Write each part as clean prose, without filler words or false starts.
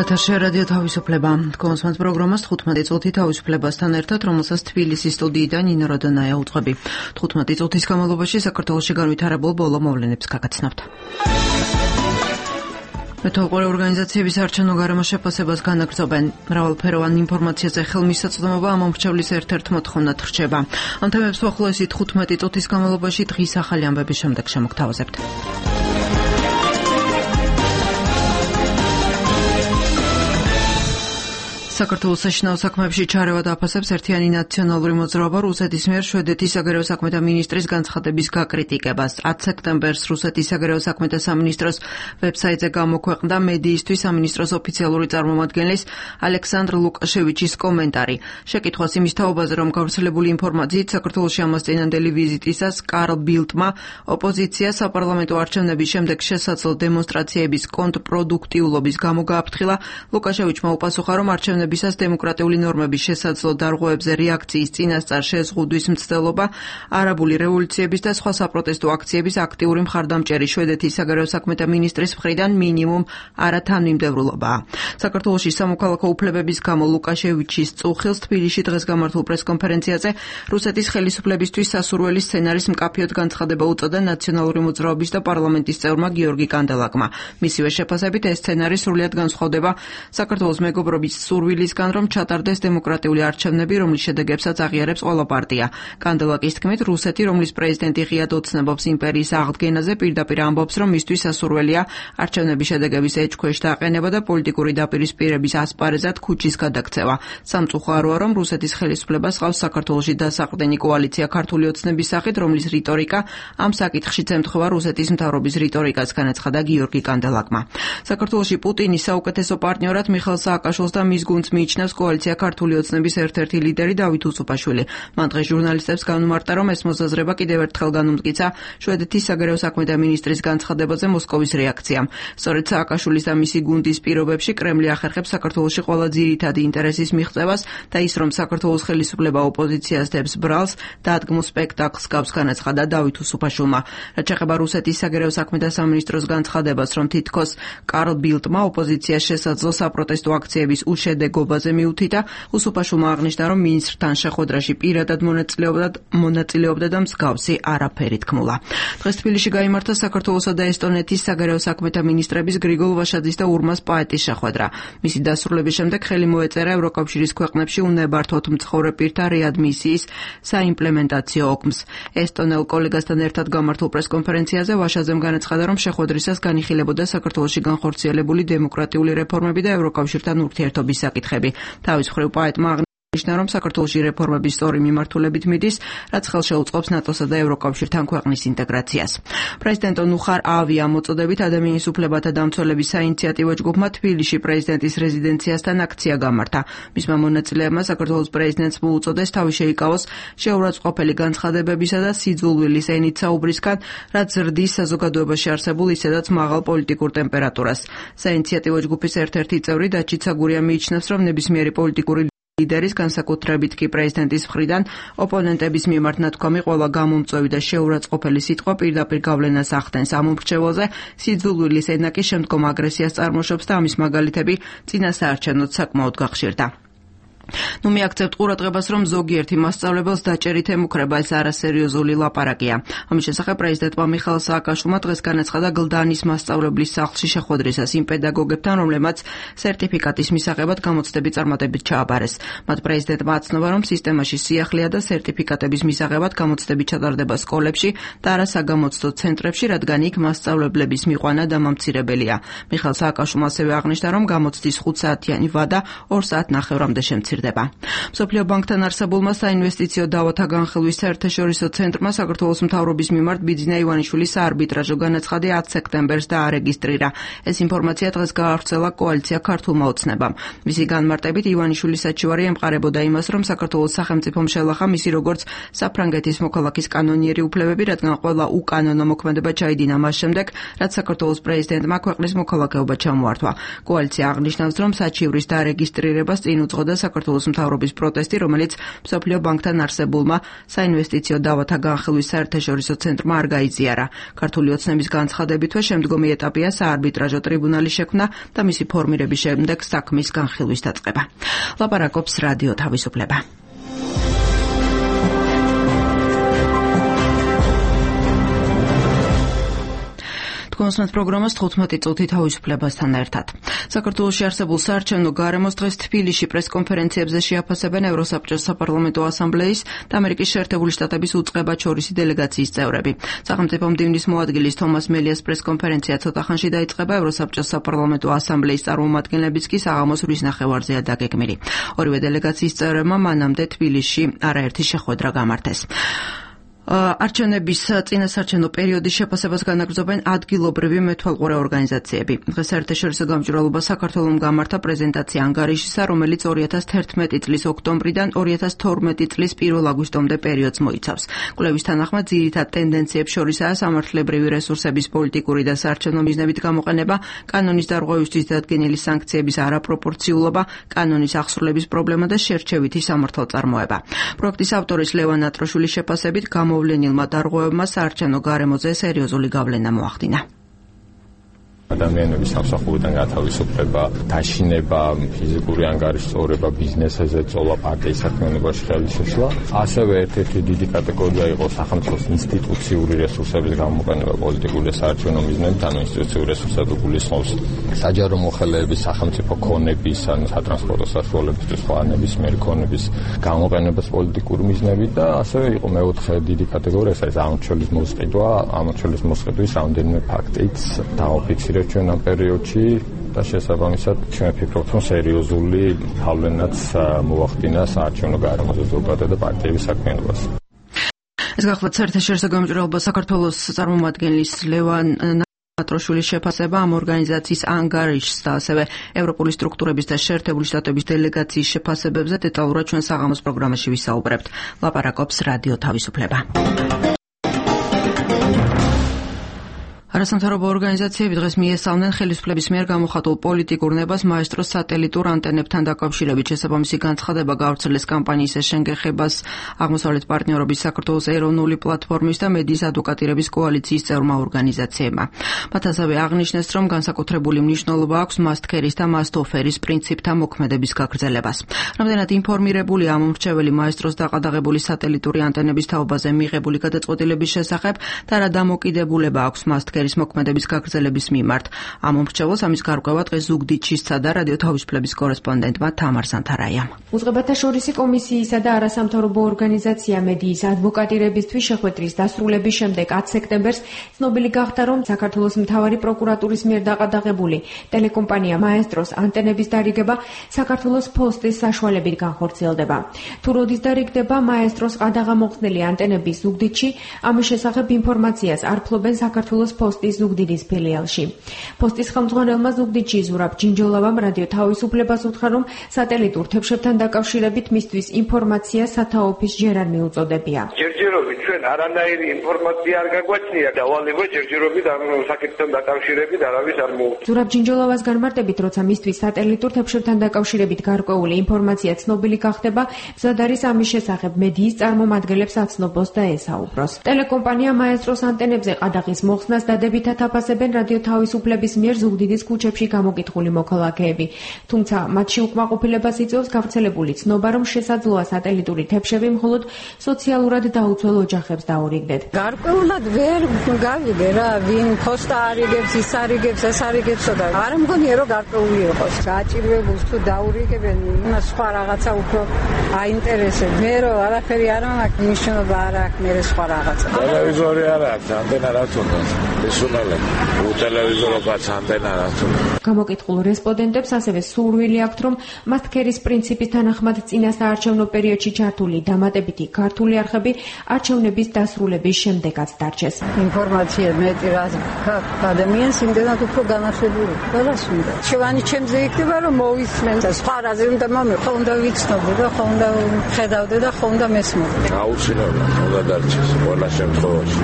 ეთერში რადიო თავისუფლება. კონსმენს პროგრამას 15 წუთი თავისუფლებასთან ერთად, რომელსაც თბილისის სტუდიიდან ნინო როდონაია უძღვები. 15 წუთის განმავლობაში საქართველოში განვითარებულ ბოლო მოვლენებს გაგაცნობთ. მეთვალყურე ორგანიზაციების არჩევნო გარემო შეფასებას განაგრძობენ. მრავალფეროვან ინფორმაციაზე ხელმისაწვდომობა ამ მომრჩევლის ერთ-ერთ მოთხოვნად რჩება. ამ თემებს უახლოესი 15 წუთის განმავლობაში დღის ახალი ამბების შემდეგ შემოგთავაზებთ. საქართველოს საშინაო საქმეებში ჩარევა დააფასებს ერთიანი ნაციონალური მოძრაობა რუსეთის მიერ შვედეთის საგარეო საქმეთა მინისტრის განცხადების გაკრიტიკებას. 10 სექტემბერს რუსეთის საგარეო საქმეთა სამინისტროს ვებსაიტზე გამოქვეყნდა მედიისთვის სამინისტროს ოფიციალური წარმომადგენლის ალექსანდრ ლუკაშევიჩის კომენტარი. შეკითხვას იმის თაობაზე, რომ გავრცელებული ინფორმაციით საქართველოში ამასწინებელი ვიზიტისას კარლ ბილდმა ოპოზიცია საპარლამენტო არჩევნების შემდეგ შესაძლო დემონსტრაციების კონტრპროდუქტიულობის გამო გააფრთხილა, ლუკაშევიჩმა უპასუხა, რომ არჩევნებისას დემოკრატიული ნორმების შესაძლო დარღვევებზე რეაქციის წინასწარ შეზღუდვის მცდელობა, არაბული რევოლუციების და სხვა საპროტესტო აქციების აქტიური მხარდამჭერი შვედეთის საგარეო საქმეთა მინისტრის მხრიდან მინიმუმ არათანმიმდევრულობაა. საქართველოში სამოქალაქო უფლებების გამო ლუკაშევიჩის წუხილს თბილისში დღეს გამართულ პრესკონფერენციაზე რუსეთის ხელისუფლებისთვის სასურველი სცენარის მკაფიოდ განცხადება უწოდა ნაციონალური მოძრაობის და პარლამენტის წევრმა გიორგი კანდელაკმა. მისივე შეფასებით ეს სცენარი სრულიად განსხვავდება საქართველოს მეგობრობის სურვილისგან, რომ ჩატარდეს დემოკრატიული არჩევნები, რომლის შედეგებსაც აღიარებს ყველა პარტია. კანდელაკის თქმით, რუსეთი, რომლის პრეზიდენტი ღიად ოცნებობს იმპერიის აღდგენაზე, პირდაპირ ამბობს, რომ მისთვის სასურველია არჩევნების შედეგების ეჭქვეშ დაყენება და პოლიტიკური დაპირისპირების ასპარეზად ქუჩის გადაქცევა. სამწუხაროა, რომ რუსეთის ხელისუფლებას ჰყავს საქართველოში დასაყრდენი კოალიცია ქართული ოცნების სახით, რომლის რიტორიკა ამ საკითხშიც ემთხვევა რუსეთის მთავრობის რიტორიკას, განაცხადა გიორგი კანდელაკმა. საქართველოში პუტინის საუკეთესო პარტნიორად მიხეილ სააკაშვილს და მის გუნდს მიიჩნევს კოალიცია ქართული ოცნების ერთ-ერთი ლიდერი დავით უსუპაშვილი. მან დღეს ჟურნალისტებს განუმარტა, რომ ეს მოსაზრება კიდევ ერთხელ განუმტკიცა შვედეთის საგარეო საქმეთა მინისტრის განცხადებაზე მოსკოვის რეაქციამ. სწორედ სააკაშვილის და მისი გუნდის პირობებში კრემლი ახერხებს საქართველოში ყველა ძირითადი ინტერესის მიღწევას და ის, რომ საქართველოს ხელისუფლება ოპოზიციას დებს ბრალს, დადგმულ სპექტაკლს გავს, განაცხადა დავით უსუპაშვილმა. რაც შეეხება რუსეთის საგარეო საქმეთა სამინისტროს განცხადებას, რომ თითქოს კარლ ბილდმა ოპოზიციას შესაძლო საპროტესტო აქციების შედეგობაზე მიუთითა, უსუპაშვილმა აღნიშნა, რომ მინისტრთან შეხვედრაში პირადად მონაწილეობდა და მსგავსი არაფერი თქმულა. დღეს თბილისში გაიმართა საქართველოსა და ესტონეთის საგარეო საქმეთა მინისტრების გრიგოლ ვაშაძის და ურმას პაეტის შეხვედრა. მისი დასრულების შემდეგ ხელი მოეწერა ევროკავშირის ქვეყნებში უნებართვოდ მცხოვრე პირთა რეადმისიის საიმპლემენტაციო ოგმს. ესტონელ კოლეგასთან ერთად გამართულ პრესკონფერენციაზე ვაშაძემ განაცხადა, რომ შეხვედრისას განიხილებოდა საქართველოში განხორციელებული დემოკრატიული რეფორმები და ევროკავშირთან ურთიერთობის საკითხები. თავის მხრივ პაეტმა აღნიშნა, რომ საქართველოში რეფორმების სწორი მიმართულებით მიდის, რაც ხელშეუწყობს ნატოსა და ევროკავშირთან ქვეყნის ინტეგრაციას. პრეზიდენტ ნუხარ ავია მოწოდებით ადამიანის უფლებათა დამცველების საინიციატივო ჯგუფმა თბილისში პრეზიდენტის რეზიდენციასთან აქცია გამართა. მისმა მონაწილეებმა საქართველოს პრეზიდენტს მოუწოდეს თავი შეიკავოს შეურაცხყოფელი განცხადებებისა და სიძულვილის ენით საუბრისგან, რაც ზრდის საზოგადოებაში არსებულ ისედაც მაღალ პოლიტიკურ ტემპერატურას. საინიციატივო ჯგუფის ერთ-ერთი წევრი დაჩი ცაგურია მიიჩნევს, რომ ნებისმიერი პოლიტიკური ლიდერის, განსაკუთრებით კი პრეზიდენტის მხრიდან ოპონენტების მიმართ ნათქვამი ყველა გამომწვევი და შეურაცხყოფელი სიტყვა პირდაპირ გავლენას ახდენს ამ მომრჩეველზე, სიძულვილის ენა კი შემდგომ აგრესიას წარმოშობს და ამის მაგალითები წინასაარჩევნოდ საკმაოდ გახშირდა. მიაქცევთ ყურადღებას, რომ ზოგიერთი მასწავლებელს დაჭერით ემუქრება ეს არასერიოზული ლაპარაკია. ამის შესახებ პრეზიდენტმა მიხეილ სააკაშვილმა დღეს განაცხადა გლდანის მასწავლებლის სახლში შეხვედრისას იმ პედაგოგებთან, რომლებმაც სერტიფიკატის მისაღებად გამოცდები წარმატებით ჩააბარეს. მათ პრეზიდენტმა აცნობა, რომ სისტემაში სიახლეა და სერტიფიკატების მისაღებად გამოცდები ჩატარდება სკოლებში და არა საგამოცდო ცენტრებში, რადგან იქ მასწავლებლების მიყვანა დამამცირებელია. მიხეილ სააკაშვილმა ასევე აღნიშნა, რომ გამოცდის 5 საათიანი ვადა 2 საათნახევრამდე შემცირდება. მსოფლიო ბანკთან არსებულმა საინვესტიციო დავათა განხილვის საერთაშორისო ცენტრმა საქართველოს მთავრობის მიმართ ბიძინა ივანიშვილის საარბიტრაჟო განაცხადი 10 სექტემბერს დაარეგისტრირა. ეს ინფორმაცია დღეს გაავრცელა კოალიცია ქართულმა ოცნებამ. მისი განმარტებით ივანიშვილის საჩივარი ემყარებოდა იმას, რომ საქართველოს სახელმწიფომ შელახა მისი როგორც საფრანგეთის მოქალაქის კანონიერი უფლებები, რადგან ყველა უკანონო მოქმედება ჩაიდინა მას შემდეგ, რაც საქართველოს პრეზიდენტმა ქვეყნის მოქალაქეობა ჩამოართვა. კოალიცია აღნიშნავს, რომ საჩივრის დარეგისტრირებას წინ უძღოდა საქართველოს საქართველოს მთავრობის პროტესტი, რომელიც მსოფლიო ბანკთან არსებულმა საინვესტიციო დავათა განხილვის საერთაშორისო ცენტრმა არ გაიზიარა. ქართული ოცნების განცხადებითვე შემდგომი ეტაპია საარბიტრაჟო ტრიბუნალის შექმნა და მისი ფორმირების შემდეგ საქმის განხილვის დაწყება. ლაპარაკობს რადიო თავისუფლება. კონსმეთ პროგრამას 15 წუთი თავისუფლებასთან ერთად. საქართველოში არსებულ საარჩევნო გარემოს დღეს თბილისში პრესკონფერენციებზე შეაფასებენ ევროსაბჭოს საპარლამენტო ასამბლეის და ამერიკის შეერთებული შტატების უწყებაჩორისი დელეგაციის წევრები. სახელმწიფო მდივნის მოადგილის თომას მელიას პრესკონფერენცია ცოტა ხანში დაიწყება, ევროსაბჭოს საპარლამენტო ასამბლეის წარმომადგენლებიც კი საღამოს 8 ნახევარზეა დაგეგმილი. ორივე დელეგაციის წევრებმა მანამდე თბილისში არაერთი შეხვედრა გამართეს. არჩევნების წინასაარჩევნო პერიოდის შეფასებას განაგრძობენ ადგილობრივი მეთვალყურე ორგანიზაციები. დღეს საერთაშორისო გამჭვირვალობა საქართველოს გამართა პრეზენტაცია ანგარიშისა, რომელიც 2011 წლის ოქტომბრიდან 2012 წლის 1 აგვისტომდე პერიოდს მოიცავს. კვლევის თანახმად ძირითად ტენდენციებს შორისაა სამართლებრივი რესურსების პოლიტიკური და საარჩევნო მიზნებით გამოყენება, კანონის დარღვევისთვის დადგენილი სანქციების არაპროპორციულობა, კანონის აღსრულების პრობლემა და შერჩევითი სამართალწარმოება. პროექტის ავტორის ლევან ატროშვილის შეფასებით მოვლენილმა დარღვევებმა საარჩევნო გარემოზე სერიოზული გავლენა მოახდინა. ადამიანების სამსახურიდან გათავისუფლება, დაშინება, ფიზიკური ანგარიშის წოვრება, ბიზნესზე წოლა, პარტიის საქმიანობაში ხელისშეშლა. ასევე ერთ-ერთი დიდი კატეგორია იყო სახელმწიფოს ინსტიტუციური რესურსების გამოყენება პოლიტიკური და საარჩევნო მიზნებით, ანუ ინსტიტუციური რესურსები გულისხმობს საჯარო მოხელეების, სახელმწიფო ქონების, ანუ სატრანსპორტო საშუალებისთვის სხვა ნებისმიერი ქონების გამოყენებას პოლიტიკური მიზნებით და ასევე იყო მეოთხე დიდი კატეგორია, ეს არის ამორჩეულის მოსყიდვა, ამორჩეულის მოსყიდვის რამდენიმე ფაქტიც დააფიქსირდა ჩვენ ამ პერიოდში და შესაბამისად ჩვენ ვფიქრობთ, რომ სერიოზული გავლენაც მოახდინა საარჩევნო გარემოზე ზოგადად და პარტიების საქმიანობას. ეს გახლავთ საერთაშორისო გამჭვირვალობა საქართველოს წარმომადგენლის ლევან ატროშვილის შეფასება ამ ორგანიზაციის ანგარიშს და ასევე ევროპული სტრუქტურების და შეერთებული შტატების დელეგაციის შეფასებებზე დეტალურად ჩვენ საღამოს პროგრამაში ვისაუბრებთ. ლაპარაკობს რადიო თავისუფლება. არასამთავრობო ორგანიზაციები დღეს მიესალმნენ ხელისუფლების მიერ გამოხატულ პოლიტიკურ ნებას მაესტროს სატელიტურ ანტენებთან დაკავშირებით. შესაბამისი განცხადება გავრცელეს კამპანიის შენგეხებას აღმოსავლეთ პარტნიორობის საქართველოს ეროვნული პლატფორმის და მედიის ადვოკატირების კოალიციის წევრმა ორგანიზაციებმა. მათ ასევე აღნიშნეს, რომ განსაკუთრებული მნიშვნელობა აქვს მასტქერის და მასტოფერის პრინციპთა მოქმედების გაგრძელებას. რამდენად ინფორმირებული ამომრჩეველი მაესტროს დაყადაღებული სატელიტური ანტენების თაობაზე მიღებული გადაწყვეტილების შესახებ და რა დამოკიდებულება აქვს მასტქერის მოქმედების გაგრძელების მიმართ. ამომრჩეველს ამის გარკვევა დღეს ზუგდიდში სცადა რადიო თავისუფლების კორესპონდენტმა თამარ სანთარაიამ. უწყებათაშორისი კომისიისა და არასამთავრობო ორგანიზაცია მედიის ადვოკატირებისთვის შეხვედრის დასრულების შემდეგ 10 სექტემბერს ცნობილი გახდა, რომ საქართველოს მთავარი პროკურატურის მიერ დაყადაღებული ტელეკომპანია მაესტროს ანტენების დარიგება საქართველოს ფოსტის საშუალებით განხორციელდება. თუ როდის დარიგდება მაესტროს ყადაღამოხსნელი ანტენების ზუგდიდში, ამის შესახებ ინფორმაციას არ ფლობენ საქართველოს პოსტის ზუგდიდის ფილიალში. პოსტის ხელმძღვანელმა ზუგდიდში ზურაბ ჯინჯოლავამ რადიო თავისუფლებას უთხრა, რომ სატელიტურ თებშებთან დაკავშირებით მისთვის ინფორმაცია სათაოფის ჯერ არ მიუწოდებია. ჯერჯერობით ჩვენ არანაირი ინფორმაცია არ გაგვაჩნია და ვალება ჯერჯერობით ამ საკითხთან დაკავშირებით არავის არ მოუწოდა. ზურაბ ჯინჯოლავას განმარტებით, როცა მისთვის სატელიტურ თებშებთან დაკავშირებით გარკვეული ინფორმაცია ცნობილი გახდება, მზად არის ამის შესახებ მედიის წარმომადგენლებს აცნობოს და ესაუბროს. ტელეკომპანია მაესტროს ანტენებზე ყადაღის მოხსნას დადებითად აფასებენ რადიო თავისუფლების მიერ ზუგდიდის ქუჩებში გამოკითხული მოქალაქეები. თუმცა მათში უკმაყოფილებას იწვევს გავრცელებული ცნობა, რომ შესაძლოა სატელიტური თებშები მხოლოდ სოციალურად დაუცველ ოჯახებს დაურიგდეთ. გარკვეულად ვერ გავიგე რა, ვინ ფოსტა არიგებს, ის არიგებს, ეს არიგებსო და არ მგონია რომ გარკვეული იყოს. გააჭირვებულს თუ დაურიგებენ, იმას სხვა რაღაცა უფრო აინტერესებს. მე რომ არაფერი არ მაქვს, მნიშვნელობა არ აქვს, მე სხვა რაღაცა. ტელევიზორი არ აქვს, ანტენა რაც უნდა. ისუნელე უტელევიზორო კაც ანტენა რაც უნდა. გამოკითხულ რესპონდენტებს ასევე სურვილი აქვთ, რომ მასტქერის პრინციპის თანახმად წინა საარჩევნო პერიოდში ჩართული დამატებითი ქართული არხები არჩევნების დასრულების შემდეგაც დარჩეს. ინფორმაცია მეტი რა ადამიანს იმდენად უფრო განახლებული. ყველას უნდა. შევანი ჩემზე იქნება რომ მოვისმენ და სხვა რაზე უნდა მომიყო, უნდა ვიცნობო და ხო უნდა ხედავდე და ხო უნდა მესმოდე. აუცილებლად უნდა დარჩეს ყველა შემთხვევაში.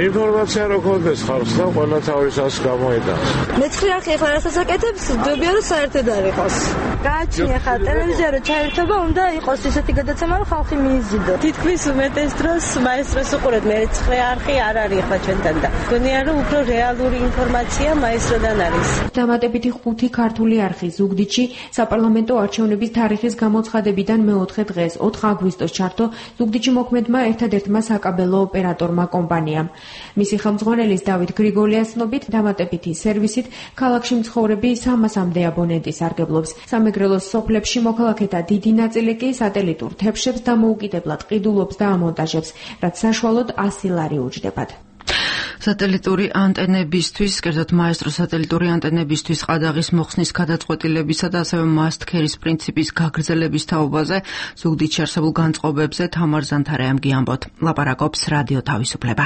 ინფორმაცია რო გქონდეს ხალხს და ყველა თავისას გამოიტანს. მეცხრე არხი ახლა რასაც აკეთებს, ძებია რომ საერთოდ არ იყოს. გააჩნია ხა ტელევიზია რომ ჩაერთობა უნდა იყოს ისეთი გადაცემა რომ ხალხი მიიზიდო. თითქმის უმეტეს დროს მაესტროს უყურეთ, მე მეცხრე არხი არ არის ხა ჩვენთან და გონია რომ უფრო რეალური ინფორმაცია მაესტროდან არის. დამატებითი 5 ქართული არხი ზუგდიდში საპარლამენტო არჩევნების თარიღის გამოცხადებიდან მეოთხე დღეს 4 აგვისტოს ჩართო ზუგდიდში მოქმედმა ერთადერთმა საკაბელო ოპერატორმა კომპანიამ. მისი ხელმძღვანელის დავით გრიგოლიას ცნობით დამატებითი სერვისით ქალაქში მცხოვრები 300-მდე აბონენტი სარგებლობს. სამეგრელოს სოფლებში მოქალაქეთა დიდი ნაწილი კი სატელიტურ თებშებს დამოუკიდებლად ყიდულობს და ამონტაჟებს, რაც საშუალოდ 100 ლარი უჯდებათ. სატელიტური ანტენებისთვის, კერძოდ მაესტრო სატელიტური ანტენებისთვის ყადაღის მოხსნის გადაწყვეტილებისა და ასევე მასტქერის პრინციპის გაგრძელების თაობაზე ზუგდიდში არსებულ განწყობებზე თამარ ზანთარაამ გიამბოთ. ლაპარაკობს რადიო თავისუფლება.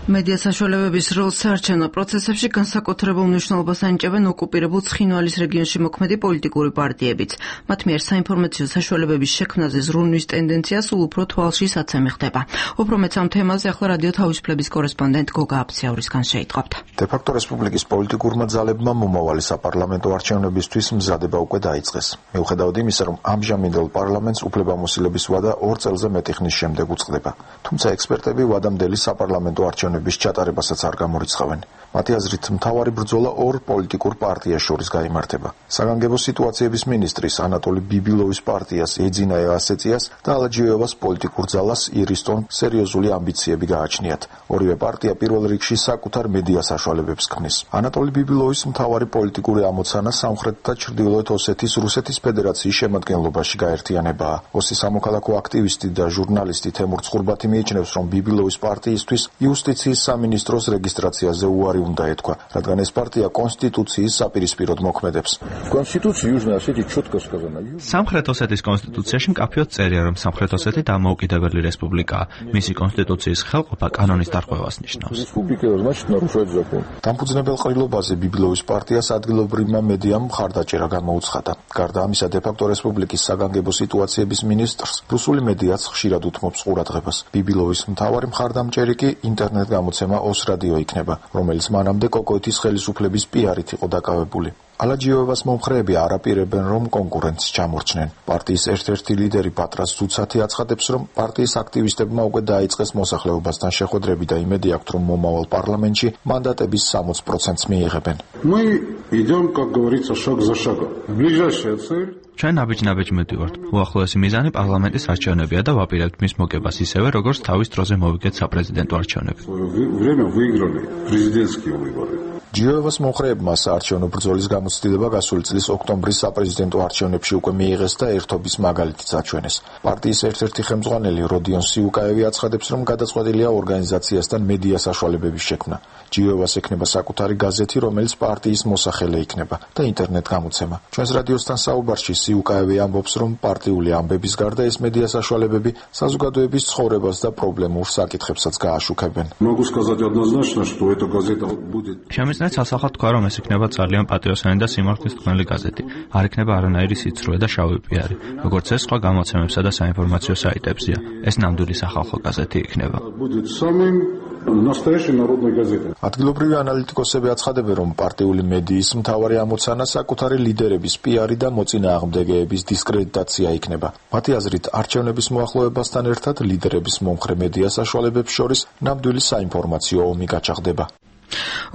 მედია საშუალებების როლს საარჩევნო პროცესებში განსაკუთრებულ მნიშვნელობას ანიჭებენ ოკუპირებულ ცხინვალის რეგიონში მოქმედი პოლიტიკური პარტიებიც. მათ მიერ საინფორმაციო საშუალებების შექმნაზე ზრუნვის ტენდენცია სულ უფრო თვალში საცემი ხდება. უფრო მეც ამ თემაზე ახლა რადიო თავისუფლების კორესპონდენტ გოგა აფციაურისგან შეიტყობთ. დე-ფაქტო რესპუბლიკის პოლიტიკურმა ძალებმა მომავალი საპარლამენტო არჩევნებისთვის მზადება უკვე დაიწყეს. მიუხედავად იმისა, რომ ამჟამინდელ პარლამენტს უფლებამოსილების ვადა 2 წელზე მეტი ხნის შემდეგ უწყდება. თუმცა ექსპერტები ვადამდელი საპარლამენტო არჩევნების ჩატარებასაც არ გამორიცხავენ. მათი აზრით, მთავარი ბრძოლა 2 პოლიტიკურ პარტიას შორის გაიმართება. საგანგებო სიტუაციების მინისტრის ანატოლი ბიბილოვის პარტიას ეძინა ასეციას და ალაჯიევას პოლიტიკურ ძალას ირისტონ სერიოზული ამბიციები გააჩნიათ. ორივე პარტია პირველ რიგში საკუთარ მედია საშუალებებს ქმნის. ანატოლი ბიბილოვის მთავარი პოლიტიკური ამოცანა სამხრეთ და ჩრდილოეთ ოსეთის რუსეთის ფედერაციის შემადგენლობაში გაერთიანებაა. ოსის სამოქალაქო აქტივისტი და ჟურნალისტი თემურ ცხურბათი მიიჩნევს, რომ ბიბილოვის პარტიისთვის იუსტიციის სამინისტროს რეგისტრაციაზე უარი უნდა ეთქვა, რადგან ეს პარტია კონსტიტუციის საპირისპიროდ მოქმედებს. სამხრეთ ოსეთის კონსტიტუციაში მკაფიოდ წერია, რომ სამხრეთ ოსეთი დამოუკიდებელი რესპუბლიკაა. მისი კონსტიტუციის ხელყოფა კანონის დარღვევას ნიშნავს. დამფუძნებელ ყრილობაზე ბიბილოვის პარტიას ადგილობრივმა მედიამ მხარდაჭერა გამოუცხადა. გარდა ამისა, დე-ფაქტო რესპუბლიკის საგანგებო სიტუაციების მინისტრს რუსული მედიაც ხშირად უთმობს ყურადღებას. ბიბილოვის მთავარი მხარდამჭერი კი ინტერნეტ გამოცემა ოს რადიო იქნება, რომელიც მანამდე კოკოეთის ხელისუფლების პიარით იყო დაკავებული. ალაჯიევას მომხრეები არ აპირებენ, რომ კონკურენტს ჩამორჩნენ. პარტიის ერთ-ერთი ლიდერი პატრას ზუცათი აცხადებს, რომ პარტიის აქტივისტებმა უკვე დაიწყეს მოსახლეობასთან შეხვედრები და იმედი აქვთ, რომ მომავალ პარლამენტში მანდატების 60%-ს მიიღებენ. ჩვენ ნაბიჯ-ნაბიჯ მივდივართ. უახლოესი მიზანი პარლამენტის არჩევნებია და ვაპირებთ მის მოგებას ისევე, როგორც თავის დროზე მოვიგეთ საპრეზიდენტო არჩევნები. ჯიევას მომხრეებმა საარჩევნო ბრძოლის გამოცდილება გასული წლის ოქტომბრის საპრეზიდენტო არჩევნებში უკვე მიიღეს და ერთობის მაგალითიც აჩვენეს. პარტიის ერთ-ერთი ხელმძღვანელი როდიონ სიუკაევი აცხადებს, რომ გადაწყვეტილია ორგანიზაციასთან მედია საშუალებების შექმნა. ჯიევას ექნება საკუთარი გაზეთი, რომელიც პარტიის მოსახელე იქნება და ინტერნეტ გამოცემა. ჩვენს რადიოსთან საუბარში სიუკაევი ამბობს, რომ პარტიული ამბების გარდა ეს მედია საშუალებები საზოგადოების ცხოვრებას და პრობლემურ საკითხებსაც გააშუქებენ. შემიძლია სასახად თქვა, რომ ეს იქნება ძალიან პატრიოტული და სიმართლისმცემელი გაზეთი. არ იქნება არანაირი სიცრუე და შავი პიარი, როგორც ეს სხვა გამოცემებსა და საინფორმაციო საიტებზია. ეს ნამდვილი სახალხო გაზეთი იქნება. ადგილობრივი ანალიტიკოსები აცხადებენ, რომ პარტიული მედიის მთავარი ამოცანა საკუთარი ლიდერების პიარი და მოწინააღმდეგეების დისკრედიტაცია იქნება. მათი აზრით, არჩევნების მოახლოებასთან ერთად ლიდერების მომხრე მედია საშუალებებს შორის ნამდვილი საინფორმაციო ომი გაჩაღდება.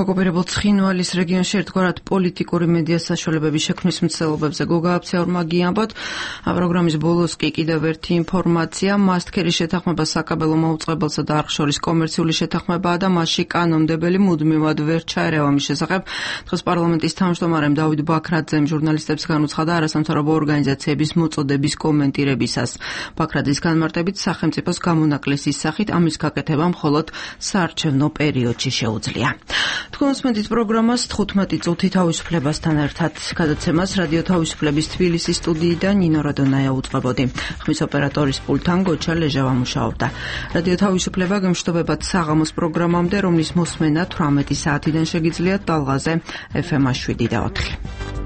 ოკუპირებულ ცხინვალის რეგიონში ერთგვარად პოლიტიკური მედია საშუალებების შექმნის მცდელობებზე გოგა აფციაურმა გიამბოთ. პროგრამის ბოლოს კი კიდევ ერთი ინფორმაცია. მასტქერის შეთანხმება საკაბელო მაუწყებელსა და არხ შორის კომერციული შეთანხმებაა და მასში კანონმდებელი მუდმივად ვერ ჩაერევა მის შესახებ. დღეს პარლამენტის თავმჯდომარემ დავით ბაქრაძემ ჟურნალისტებს განუცხადა არასამთავრობო ორგანიზაციების მოწოდების კომენტირებისას. ბაქრაძის განმარტებით, სახელმწიფოს გამონაკლისის სახით ამის გაკეთება მხოლოდ საარჩევნო პერიოდში შეუძლია. თქვენ უსმენთ პროგრამას 15 წუთი თავისუფლებასთან ერთად. გადაცემას რადიო თავისუფლების თბილისის სტუდიიდან ნინო რადონაია უწყებოდი. ხმის ოპერატორის პულტთან გოჩა ლეჟავა მუშაობდა. რადიო თავისუფლება გემშვიდობებად საღამოს პროგრამამდე, რომლის მოსმენა 18 საათიდან შეგიძლიათ ტალღაზე FM 7 და 4.